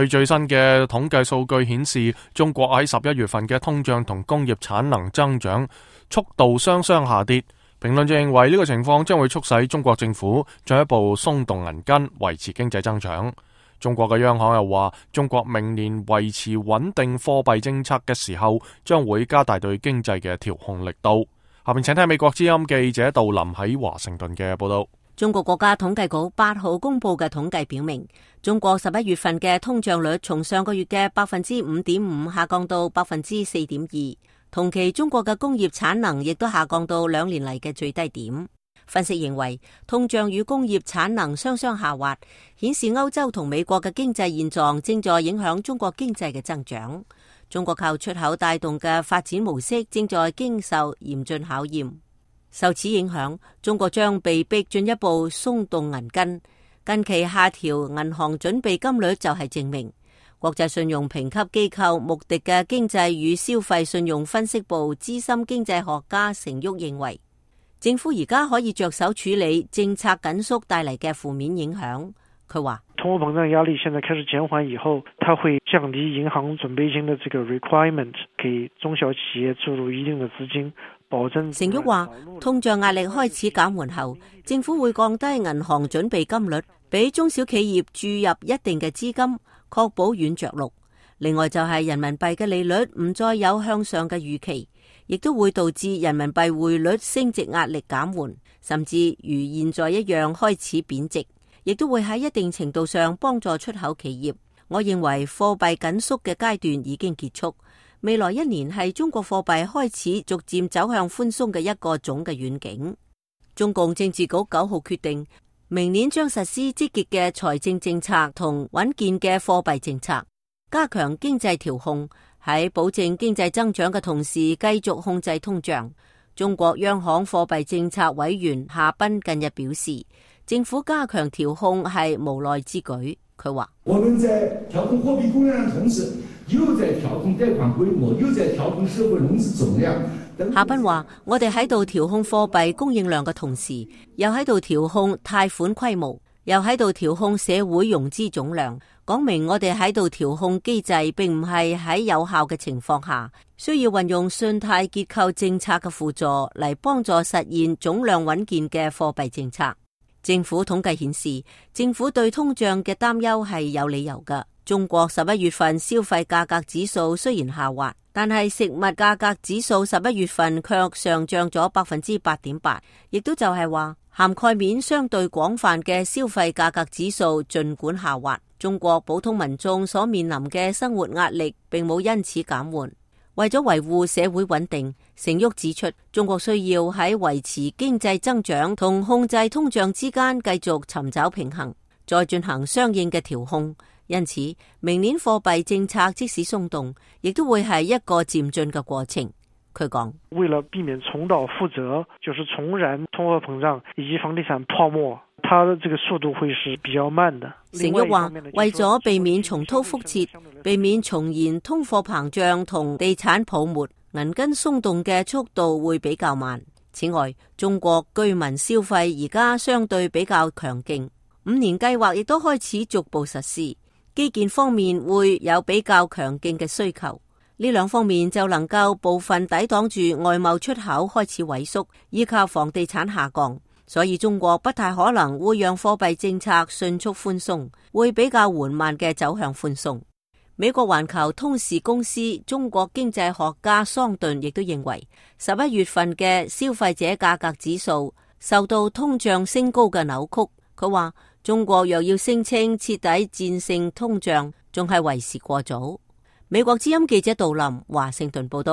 據最新嘅統計數據顯示，中國喺11月份嘅通脹同工業產能增長速度雙雙下跌。評論就認為呢個情況將會促使中國政府進一步鬆動銀根，維持經濟增長。中國嘅央行又話，中國明年維持穩定貨幣政策嘅時候，將會加大對經濟嘅調控力度。下面請聽美國之音記者杜林喺華盛頓嘅報道。中國國家統計局8號公布嘅統計表明，中國11月份嘅通脹率從上個月嘅 5.5% 下降到 4.2%， 同期中國嘅工業產能亦都下降到2年嚟嘅最低點。分析認為，通脹與工業產能雙雙下滑，顯示歐洲同美國嘅經濟現狀正在影響中國經濟嘅增長。中國靠出口帶動嘅發展模式正在經受嚴峻考驗。受此影響，中國將被迫進一步鬆動銀根。近期下調銀行準備金率就係證明。國際信用評級機構穆迪嘅經濟與消費信用分析部資深經濟學家成旭認為，政府而家可以着手處理政策緊縮帶嚟嘅負面影響。佢話，通貨膨脹壓力現在開始減緩以後，它會降低銀行準備金的這個 requirement， 給中小企業注入一定的資金。成旭話，通脹壓力開始減緩後，政府會降低銀行準備金率，俾中小企業注入一定嘅資金，確保軟着陸。另外就係人民幣嘅利率唔再有向上嘅預期，亦都會導致人民幣匯率升值壓力減緩，甚至如現在一樣開始貶值，亦都會喺一定程度上幫助出口企業。我認為貨幣緊縮嘅階段已經結束。未來1年係中國貨幣開始逐漸走向寬鬆嘅一個總嘅遠景。中共政治局9號決定，明年將實施積極嘅財政政策同穩健嘅貨幣政策，加強經濟調控，喺保證經濟增長嘅同時繼續控制通脹。中國央行貨幣政策委員夏斌近日表示，政府加強調控係無奈之舉。佢話：我們在調控貨幣供應量同時，又在調控貸款規模，又在調控社會融資總量。夏斌話：我哋喺度調控貨幣供應量嘅同時，又喺度調控貸款規模，又喺度調控社會融資總量。講明我哋喺度調控機制，並唔係喺有效嘅情況下，需要運用信貸結構政策嘅輔助嚟幫助實現總量穩健嘅貨幣政策。政府統計顯示，政府對通脹嘅擔憂係有理由嘅。中國11月份消費價格指數雖然下滑，但係食物價格指數11月份卻上漲咗 8.8%， 亦都就係話涵蓋面相對廣泛嘅消費價格指數儘管下滑，中國普通民眾所面臨嘅生活壓力並冇因此減緩。為咗維護社會穩定，成旭指出，中國需要喺維持經濟增長同控制通脹之間繼續尋找平衡，再進行相應嘅調控。因此，明年貨幣政策即使鬆動，亦都會係一個漸進嘅過程。佢講：為了避免重蹈覆轍，就是重燃通貨膨脹以及房地產泡沫，它的這個速度會是比較慢的。成旭話，為咗避免重蹈覆轍，避免重現通貨膨脹同地產泡沫，銀根鬆動嘅速度會比較慢。此外，中國居民消費而家相對比較強勁，5年計劃亦都開始逐步實施。基建方面會有比較強勁嘅需求，呢兩方面就能夠部分抵擋住外貿出口開始萎縮，以及房地產下降。所以中國不太可能會讓貨幣政策迅速寬鬆，會比較緩慢嘅走向寬鬆。美國環球通時公司中國經濟學家桑頓亦都認為，11月份嘅消費者價格指數受到通脹升高嘅扭曲。佢話中國若要聲稱徹底戰勝通脹，仲係為時過早。美國之音記者杜林華盛頓報道。